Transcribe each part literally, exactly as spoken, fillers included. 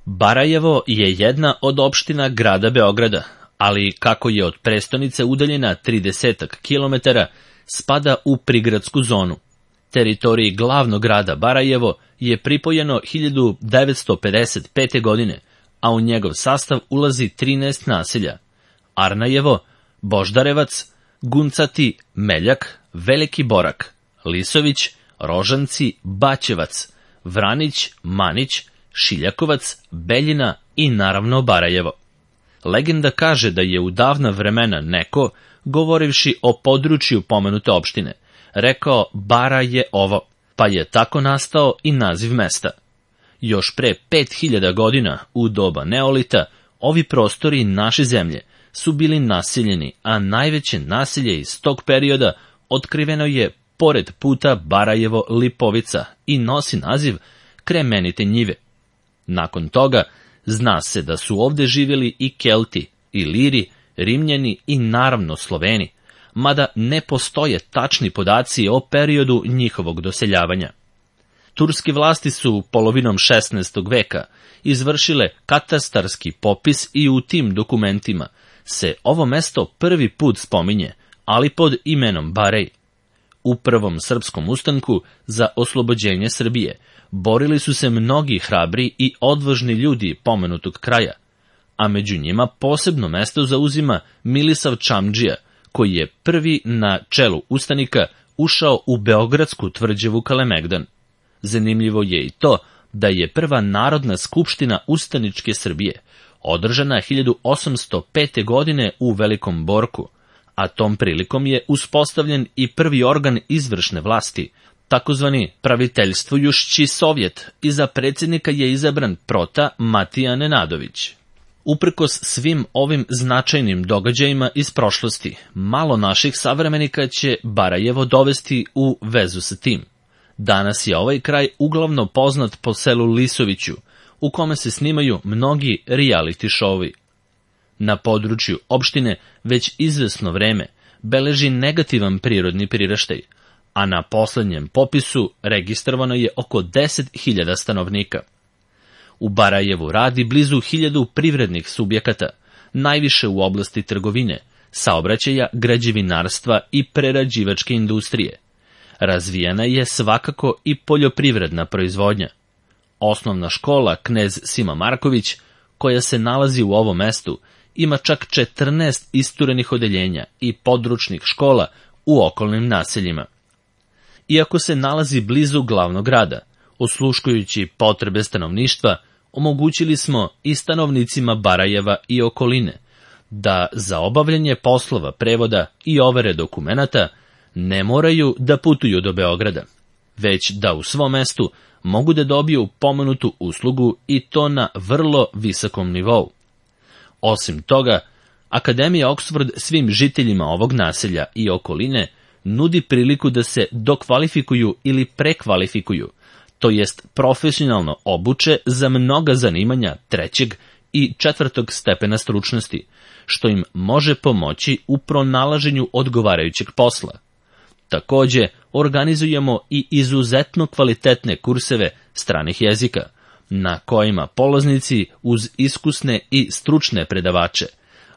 Barajevo je jedna od opština grada Beograda, ali kako je od prestonice udaljena tridesetak kilometara, spada u prigradsku zonu. Teritoriji glavnog grada Barajevo je pripojeno hiljadu devetsto pedeset pete. godine, a u njegov sastav ulazi trinaest naselja: Arnajevo, Boždarevac, Guncati, Meljak, Veliki Borak, Lisović, Rožanci, Baćevac, Vranić, Manić, Šiljakovac, Beljina i naravno Barajevo. Legenda kaže da je u davna vremena neko, govorivši o području pomenute opštine, rekao Bara je ovo, pa je tako nastao i naziv mesta. Još pre pet hiljada godina, u doba Neolita, ovi prostori naše zemlje su bili naseljeni, a najveće naselje iz tog perioda otkriveno je pored puta Barajevo-Lipovica i nosi naziv Kremenite njive. Nakon toga zna se da su ovde živjeli i Kelti, i Liri, Rimljani i naravno Sloveni, mada ne postoje tačni podaci o periodu njihovog doseljavanja. Turske vlasti su polovinom šesnaestog veka izvršile katastarski popis i u tim dokumentima se ovo mesto prvi put spominje, ali pod imenom Barej. U prvom srpskom ustanku za oslobođenje Srbije borili su se mnogi hrabri i odvažni ljudi pomenutog kraja, a među njima posebno mesto zauzima Milisav Čamdžija, koji je prvi na čelu ustanika ušao u beogradsku tvrđavu Kalemegdan. Zanimljivo je i to da je prva Narodna skupština ustaničke Srbije održana hiljadu osamsto pete. godine u Velikom Borku, a tom prilikom je uspostavljen i prvi organ izvršne vlasti, takozvani Praviteljstvujušći sovjet, i za predsjednika je izabran Prota Matija Nenadović. Uprkos svim ovim značajnim događajima iz prošlosti, malo naših savremenika će Barajevo dovesti u vezu sa tim. Danas je ovaj kraj uglavnom poznat po selu Lisoviću, u kome se snimaju mnogi reality showovi. Na području opštine već izvesno vreme beleži negativan prirodni priraštaj, a na poslednjem popisu registrovano je oko deset hiljada stanovnika. U Barajevu radi blizu hiljadu privrednih subjekata, najviše u oblasti trgovine, saobraćaja, građevinarstva i prerađivačke industrije. Razvijena je svakako i poljoprivredna proizvodnja. Osnovna škola Knez Sima Marković, koja se nalazi u ovom mestu, ima čak četrnaest isturenih odeljenja i područnih škola u okolnim naseljima. Iako se nalazi blizu glavnog grada, osluškujući potrebe stanovništva, omogućili smo i stanovnicima Barajeva i okoline da za obavljanje poslova prevoda i overe dokumenata ne moraju da putuju do Beograda, već da u svom mestu mogu da dobiju pomenutu uslugu i to na vrlo visokom nivou. Osim toga, Akademija Oksford svim žiteljima ovog naselja i okoline nudi priliku da se dokvalifikuju ili prekvalifikuju, to jest profesionalno obuče za mnoga zanimanja trećeg i četvrtog stepena stručnosti, što im može pomoći u pronalaženju odgovarajućeg posla. Takođe, organizujemo i izuzetno kvalitetne kurseve stranih jezika, na kojima polaznici uz iskusne i stručne predavače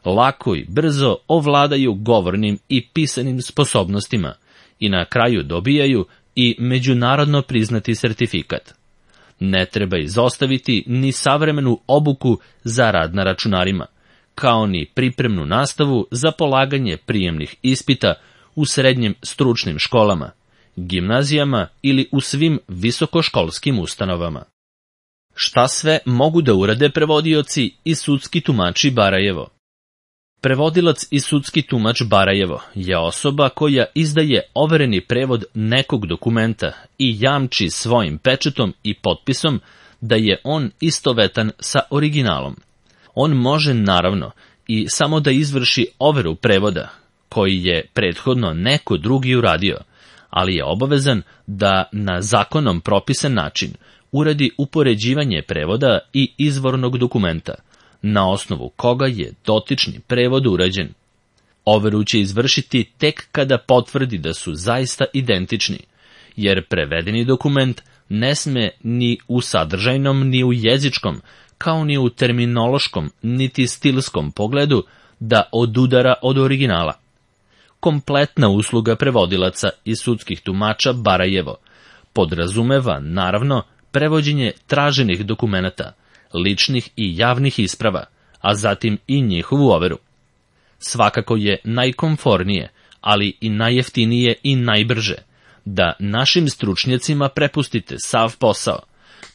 lako i brzo ovladaju govornim i pisanim sposobnostima i na kraju dobijaju i međunarodno priznati sertifikat. Ne treba izostaviti ni savremenu obuku za rad na računarima, kao ni pripremnu nastavu za polaganje prijemnih ispita u srednjim stručnim školama, gimnazijama ili u svim visokoškolskim ustanovama. Šta sve mogu da urade prevodioci i sudski tumači Barajevo? Prevodilac i sudski tumač Barajevo je osoba koja izdaje overeni prevod nekog dokumenta i jamči svojim pečatom i potpisom da je on istovetan sa originalom. On može, naravno, i samo da izvrši overu prevoda, koji je prethodno neko drugi uradio, ali je obavezan da na zakonom propisan način uradi upoređivanje prevoda i izvornog dokumenta, na osnovu koga je dotični prevod urađen. Overu će izvršiti tek kada potvrdi da su zaista identični, jer prevedeni dokument ne sme ni u sadržajnom ni u jezičkom, kao ni u terminološkom niti stilskom pogledu, da odudara od originala. Kompletna usluga prevodilaca i sudskih tumača Barajevo podrazumeva, naravno, prevođenje traženih dokumenata, ličnih i javnih isprava, a zatim i njihovu overu. Svakako je najkomfornije, ali i najjeftinije i najbrže, da našim stručnjacima prepustite sav posao,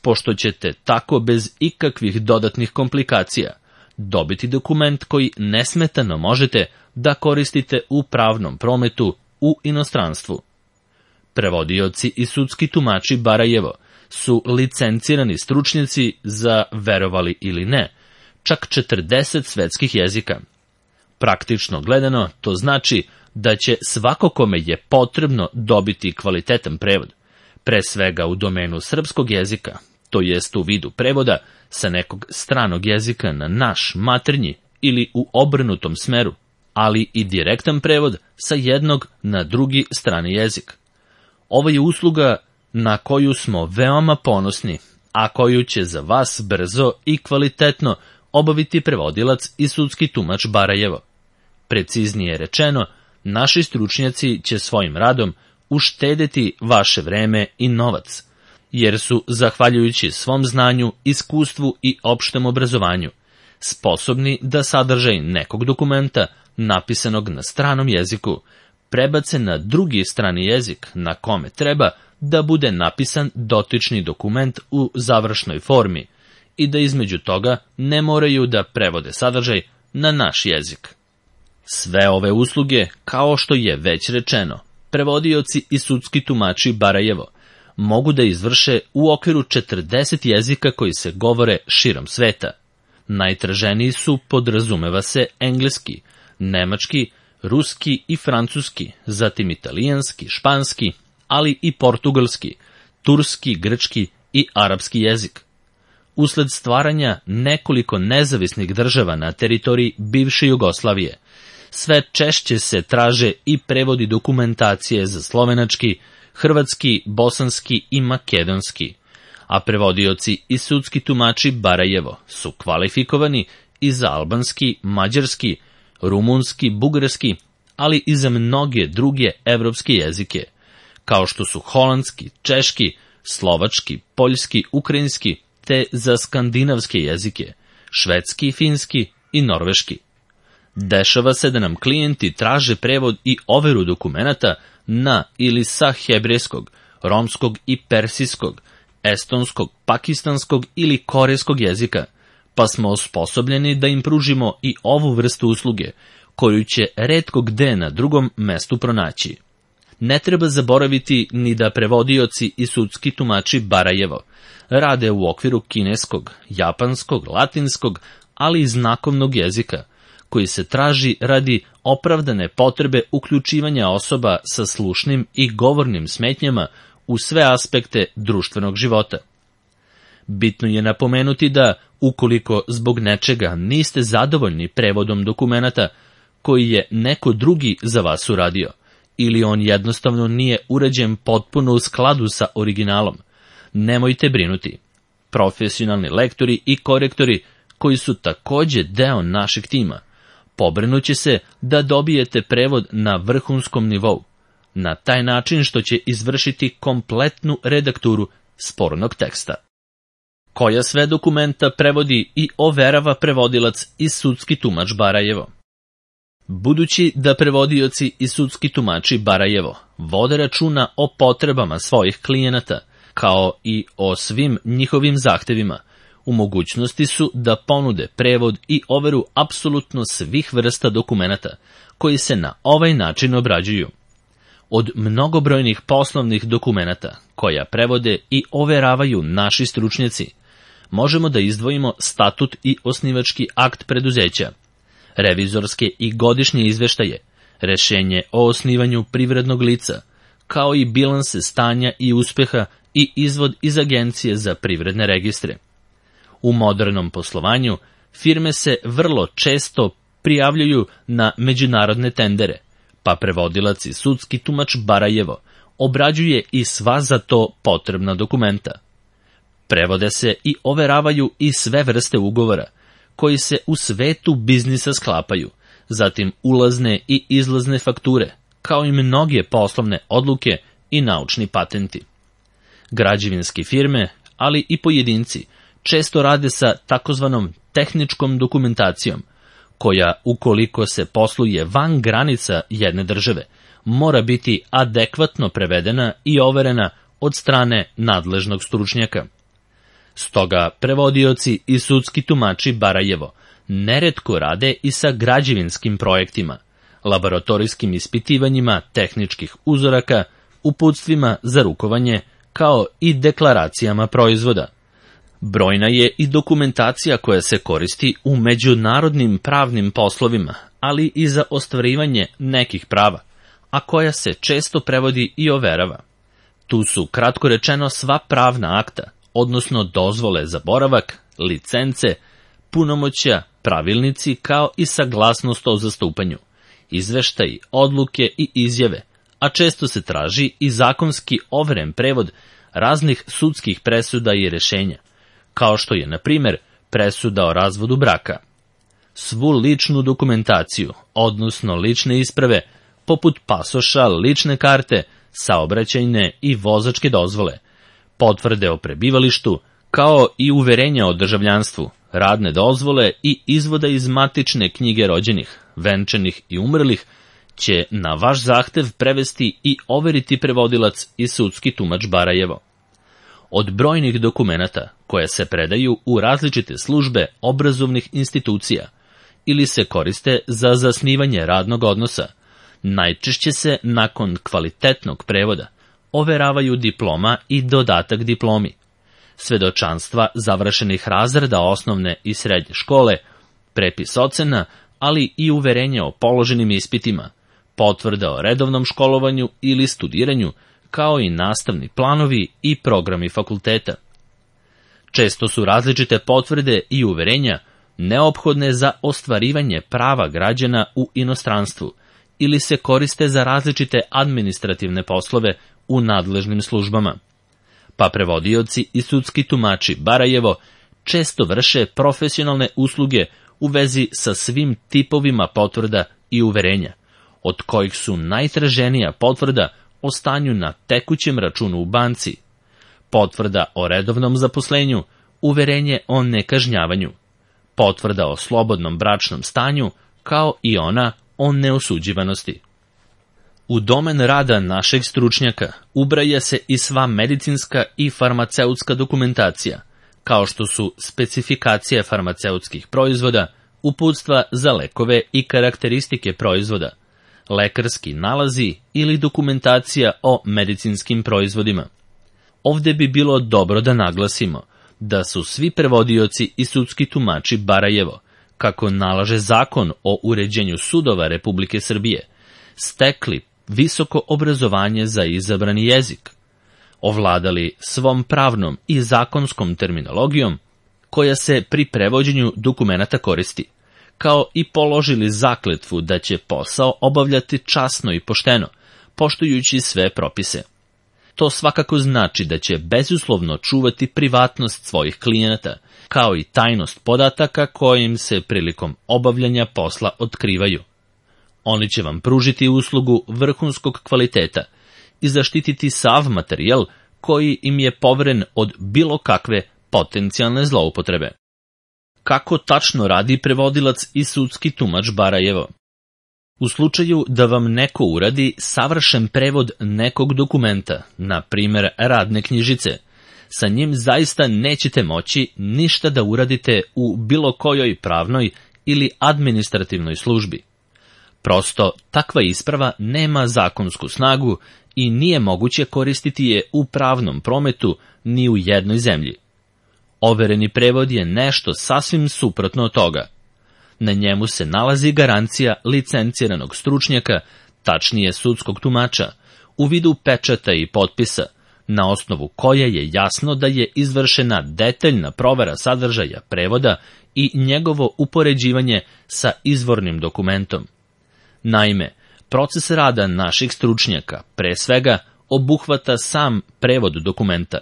pošto ćete tako bez ikakvih dodatnih komplikacija dobiti dokument koji nesmetano možete da koristite u pravnom prometu u inostranstvu. Prevodioci i sudski tumači Barajevo su licencirani stručnjaci za, verovali ili ne, čak četrdeset svetskih jezika. Praktično gledano, to znači da će svako kome je potrebno dobiti kvalitetan prevod, pre svega u domenu srpskog jezika, to jest u vidu prevoda sa nekog stranog jezika na naš maternji ili u obrnutom smeru, ali i direktan prevod sa jednog na drugi strani jezik. Ovo je usluga na koju smo veoma ponosni, a koju će za vas brzo i kvalitetno obaviti prevodilac i sudski tumač Barajevo. Preciznije rečeno, naši stručnjaci će svojim radom uštedeti vaše vreme i novac, jer su, zahvaljujući svom znanju, iskustvu i opštem obrazovanju, sposobni da sadržaj nekog dokumenta, napisanog na stranom jeziku, prebace na drugi strani jezik na kome treba da bude napisan dotični dokument u završnoj formi i da između toga ne moraju da prevode sadržaj na naš jezik. Sve ove usluge, kao što je već rečeno, prevodioci i sudski tumači Barajevo mogu da izvrše u okviru četrdeset jezika koji se govore širom sveta. Najtraženiji su, podrazumeva se, engleski, nemački, ruski i francuski, zatim italijanski, španski, ali i portugalski, turski, grčki i arapski jezik. Usled stvaranja nekoliko nezavisnih država na teritoriji bivše Jugoslavije, sve češće se traže i prevodi dokumentacije za slovenački, hrvatski, bosanski i makedonski, a prevodioci i sudski tumači Barajevo su kvalifikovani i za albanski, mađarski, rumunski, bugarski, ali i za mnoge druge evropske jezike, kao što su holandski, češki, slovački, poljski, ukrajinski, te za skandinavske jezike, švedski, finski i norveški. Dešava se da nam klijenti traže prevod i overu dokumenata na ili sa hebrejskog, romskog i persijskog, estonskog, pakistanskog ili korejskog jezika, pa smo osposobljeni da im pružimo i ovu vrstu usluge, koju će retko gde na drugom mestu pronaći. Ne treba zaboraviti ni da prevodioci i sudski tumači Barajevo rade u okviru kineskog, japanskog, latinskog, ali i znakovnog jezika, koji se traži radi opravdane potrebe uključivanja osoba sa slušnim i govornim smetnjama u sve aspekte društvenog života. Bitno je napomenuti da, ukoliko zbog nečega niste zadovoljni prevodom dokumenata koji je neko drugi za vas uradio, ili on jednostavno nije urađen potpuno u skladu sa originalom, nemojte brinuti. Profesionalni lektori i korektori, koji su takođe deo našeg tima, pobrinuće se da dobijete prevod na vrhunskom nivou, na taj način što će izvršiti kompletnu redakturu spornog teksta. Koja sve dokumenta prevodi i overava prevodilac i sudski tumač Barajevo? Budući da prevodioci i sudski tumači Barajevo vode računa o potrebama svojih klijenata, kao i o svim njihovim zahtevima, u mogućnosti su da ponude prevod i overu apsolutno svih vrsta dokumenata koji se na ovaj način obrađuju. Od mnogobrojnih poslovnih dokumenata koja prevode i overavaju naši stručnjaci, možemo da izdvojimo statut i osnivački akt preduzeća, revizorske i godišnje izveštaje, rešenje o osnivanju privrednog lica, kao i bilanse stanja i uspeha i izvod iz Agencije za privredne registre. U modernom poslovanju firme se vrlo često prijavljuju na međunarodne tendere, pa prevodilac i sudski tumač Barajevo obrađuje i sva za to potrebna dokumenta. Prevode se i overavaju i sve vrste ugovora, koji se u svetu biznisa sklapaju, zatim ulazne i izlazne fakture, kao i mnoge poslovne odluke i naučni patenti. Građevinske firme, ali i pojedinci, često rade sa takozvanom tehničkom dokumentacijom, koja, ukoliko se posluje van granica jedne države, mora biti adekvatno prevedena i overena od strane nadležnog stručnjaka. Stoga prevodioci i sudski tumači Barajevo neretko rade i sa građevinskim projektima, laboratorijskim ispitivanjima tehničkih uzoraka, uputstvima za rukovanje, kao i deklaracijama proizvoda. Brojna je i dokumentacija koja se koristi u međunarodnim pravnim poslovima, ali i za ostvarivanje nekih prava, a koja se često prevodi i overava. Tu su, kratko rečeno, sva pravna akta, odnosno dozvole za boravak, licence, punomoćja, pravilnici, kao i saglasnost o zastupanju, izveštaji, odluke i izjave, a često se traži i zakonski overen prevod raznih sudskih presuda i rešenja, kao što je, na primjer, presuda o razvodu braka. Svu ličnu dokumentaciju, odnosno lične isprave, poput pasoša, lične karte, saobraćajne i vozačke dozvole, potvrde o prebivalištu, kao i uverenja o državljanstvu, radne dozvole i izvoda iz matične knjige rođenih, venčanih i umrlih, će na vaš zahtev prevesti i overiti prevodilac i sudski tumač Barajevo. Od brojnih dokumenata koje se predaju u različite službe obrazovnih institucija ili se koriste za zasnivanje radnog odnosa, najčešće se nakon kvalitetnog prevoda overavaju diploma i dodatak diplomi, svedočanstva završenih razreda osnovne i srednje škole, prepis ocena, ali i uverenje o položenim ispitima, potvrda o redovnom školovanju ili studiranju, kao i nastavni planovi i programi fakulteta. Često su različite potvrde i uverenja neophodne za ostvarivanje prava građana u inostranstvu ili se koriste za različite administrativne poslove u nadležnim službama. Pa prevodioci i sudski tumači Barajevo često vrše profesionalne usluge u vezi sa svim tipovima potvrda i uverenja, od kojih su najtraženija potvrda o stanju na tekućem računu u banci, potvrda o redovnom zaposlenju, uverenje o nekažnjavanju, potvrda o slobodnom bračnom stanju, kao i ona o neosuđivanosti. U domen rada našeg stručnjaka ubraja se i sva medicinska i farmaceutska dokumentacija, kao što su specifikacije farmaceutskih proizvoda, uputstva za lekove i karakteristike proizvoda, lekarski nalazi ili dokumentacija o medicinskim proizvodima. Ovde bi bilo dobro da naglasimo da su svi prevodioci i sudski tumači Barajevo, kako nalaže Zakon o uređenju sudova Republike Srbije, stekli visoko obrazovanje za izabrani jezik, ovladali svom pravnom i zakonskom terminologijom koja se pri prevođenju dokumenata koristi, kao i položili zakletvu da će posao obavljati časno i pošteno, poštujući sve propise. To svakako znači da će bezuslovno čuvati privatnost svojih klijenata, kao i tajnost podataka koje im se prilikom obavljanja posla otkrivaju. Oni će vam pružiti uslugu vrhunskog kvaliteta i zaštititi sav materijal koji im je poveren od bilo kakve potencijalne zloupotrebe. Kako tačno radi prevodilac i sudski tumač Barajevo? U slučaju da vam neko uradi savršen prevod nekog dokumenta, na primjer radne knjižice, sa njim zaista nećete moći ništa da uradite u bilo kojoj pravnoj ili administrativnoj službi. Prosto, takva isprava nema zakonsku snagu i nije moguće koristiti je u pravnom prometu ni u jednoj zemlji. Overeni prevod je nešto sasvim suprotno od toga. Na njemu se nalazi garancija licenciranog stručnjaka, tačnije sudskog tumača, u vidu pečata i potpisa, na osnovu koje je jasno da je izvršena detaljna provera sadržaja prevoda i njegovo upoređivanje sa izvornim dokumentom. Naime, proces rada naših stručnjaka, pre svega, obuhvata sam prevod dokumenta.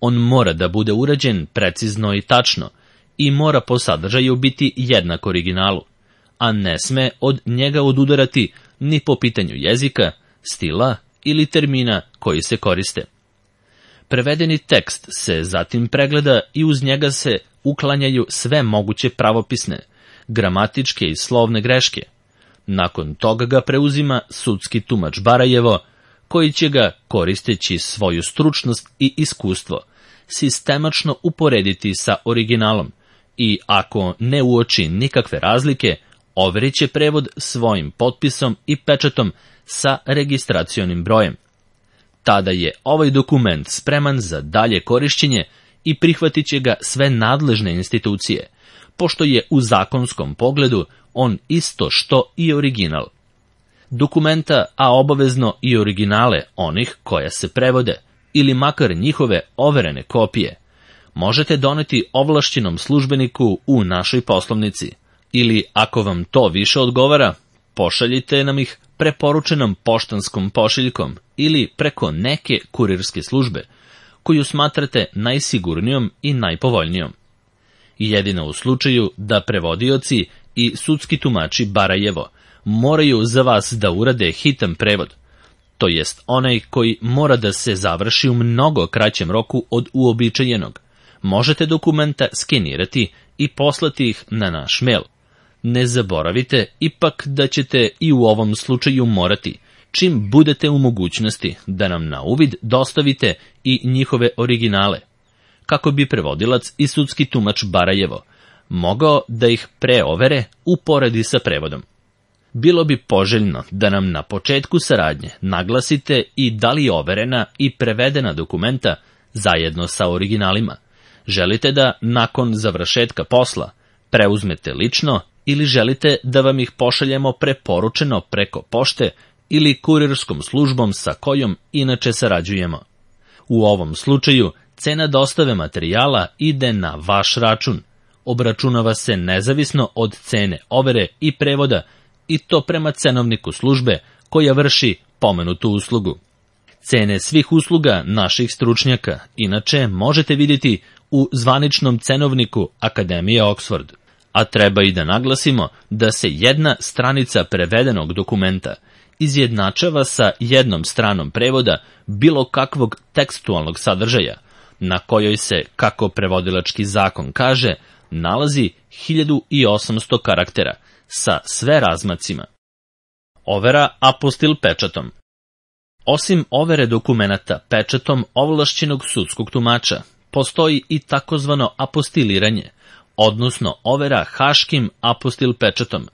On mora da bude urađen precizno i tačno i mora po sadržaju biti jednak originalu, a ne sme od njega odudarati ni po pitanju jezika, stila ili termina koji se koriste. Prevedeni tekst se zatim pregleda i uz njega se uklanjaju sve moguće pravopisne, gramatičke i slovne greške. Nakon toga ga preuzima sudski tumač Barajevo, koji će ga, koristeći svoju stručnost i iskustvo, sistemačno uporediti sa originalom i, ako ne uoči nikakve razlike, overit će prevod svojim potpisom i pečatom sa registracionim brojem. Tada je ovaj dokument spreman za dalje korišćenje i prihvatit će ga sve nadležne institucije, pošto je u zakonskom pogledu on isto što i original. Dokumenta, a obavezno i originale onih koja se prevode, ili makar njihove overene kopije, možete doneti ovlašćenom službeniku u našoj poslovnici, ili, ako vam to više odgovara, pošaljite nam ih preporučenom poštanskom pošiljkom ili preko neke kurirske službe, koju smatrate najsigurnijom i najpovoljnijom. Jedino u slučaju da prevodioci i sudski tumači Barajevo moraju za vas da urade hitan prevod, to jest onaj koji mora da se završi u mnogo kraćem roku od uobičajenog, možete dokumenta skenirati i poslati ih na naš mail. Ne zaboravite ipak da ćete i u ovom slučaju morati, čim budete u mogućnosti, da nam na uvid dostavite i njihove originale, kako bi prevodilac i sudski tumač Barajevo mogao da ih preovere uporedi sa prevodom. Bilo bi poželjno da nam na početku saradnje naglasite i da li overena i prevedena dokumenta zajedno sa originalima želite da nakon završetka posla preuzmete lično ili želite da vam ih pošaljemo preporučeno preko pošte ili kurirskom službom sa kojom inače sarađujemo. U ovom slučaju cena dostave materijala ide na vaš račun, obračunava se nezavisno od cene overe i prevoda i to prema cenovniku službe koja vrši pomenutu uslugu. Cene svih usluga naših stručnjaka inače možete vidjeti u zvaničnom cenovniku Akademije Oxford, a treba i da naglasimo da se jedna stranica prevedenog dokumenta izjednačava sa jednom stranom prevoda bilo kakvog tekstualnog sadržaja, na kojoj se, kako prevodilački zakon kaže, nalazi hiljadu osamsto karaktera sa sve razmacima. Overa apostil pečatom. Osim overe dokumenata pečatom ovlašćenog sudskog tumača, postoji i takozvano apostiliranje, odnosno overa haškim apostil pečatom,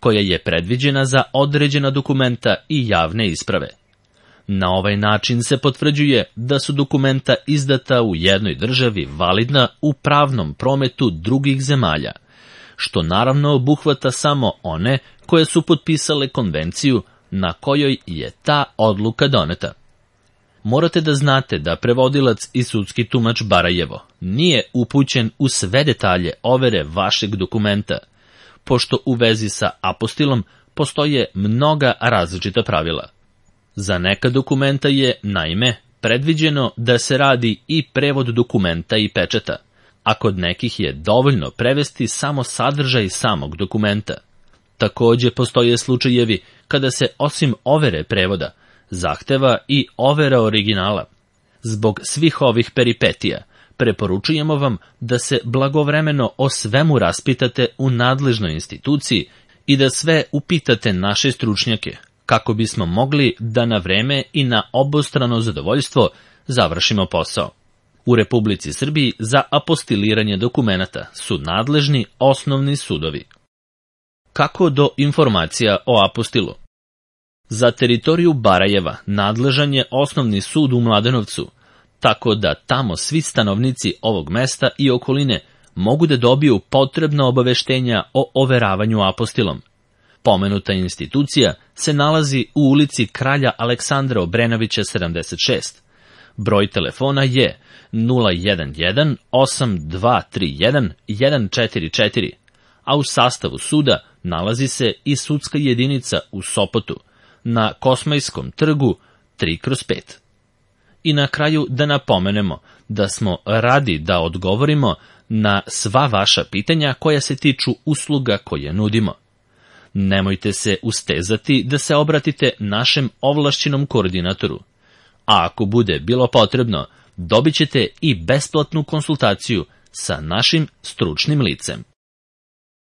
koja je predviđena za određena dokumenta i javne isprave. Na ovaj način se potvrđuje da su dokumenta izdata u jednoj državi validna u pravnom prometu drugih zemalja, što naravno obuhvata samo one koje su potpisale konvenciju na kojoj je ta odluka doneta. Morate da znate da prevodilac i sudski tumač Barajevo nije upućen u sve detalje overe vašeg dokumenta, pošto u vezi sa apostilom postoje mnoga različita pravila. Za neka dokumenta je, naime, predviđeno da se radi i prevod dokumenta i pečata, a kod nekih je dovoljno prevesti samo sadržaj samog dokumenta. Takođe postoje slučajevi kada se osim overe prevoda zahteva i overa originala. Zbog svih ovih peripetija preporučujemo vam da se blagovremeno o svemu raspitate u nadležnoj instituciji i da sve upitate naše stručnjake, kako bismo mogli da na vreme i na obostrano zadovoljstvo završimo posao. U Republici Srbiji za apostiliranje dokumenata su nadležni osnovni sudovi. Kako do informacija o apostilu? Za teritoriju Barajeva nadležan je osnovni sud u Mladenovcu, tako da tamo svi stanovnici ovog mesta i okoline mogu da dobiju potrebna obaveštenja o overavanju apostilom. Pomenuta institucija se nalazi u ulici Kralja Aleksandra Obrenovića sedamdeset šest. Broj telefona je nula jedan jedan osam dva tri jedan jedan četiri četiri, a u sastavu suda nalazi se i sudska jedinica u Sopotu, na Kosmajskom trgu tri kroz pet. I na kraju da napomenemo da smo radi da odgovorimo na sva vaša pitanja koja se tiču usluga koje nudimo. Nemojte se ustezati da se obratite našem ovlašćenom koordinatoru. A ako bude bilo potrebno, dobit ćete i besplatnu konsultaciju sa našim stručnim licem.